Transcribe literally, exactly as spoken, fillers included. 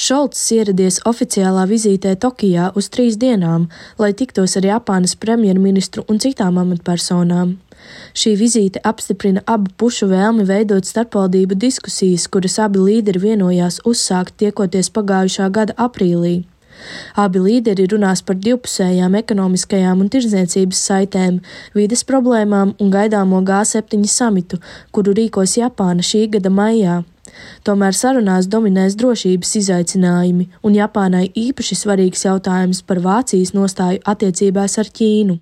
Šolts ieradies oficiālā vizītē Tokijā uz trīs dienām, lai tiktos ar Japānas premjerministru un citām amatpersonām. Šī vizīte apstiprina abu pušu vēlmi veidot starpvaldību diskusijas, kuras abi līderi vienojās uzsākt tiekoties pagājušā gada aprīlī. Abi līderi runās par divpusējām ekonomiskajām un tirdzniecības saitēm, vides problēmām un gaidāmo G septiņi samitu, kuru rīkos Japāna šī gada maijā. Tomēr sarunās dominēs drošības izaicinājumi, un Japānai īpaši svarīgs jautājums par Vācijas nostāju attiecībās ar Ķīnu.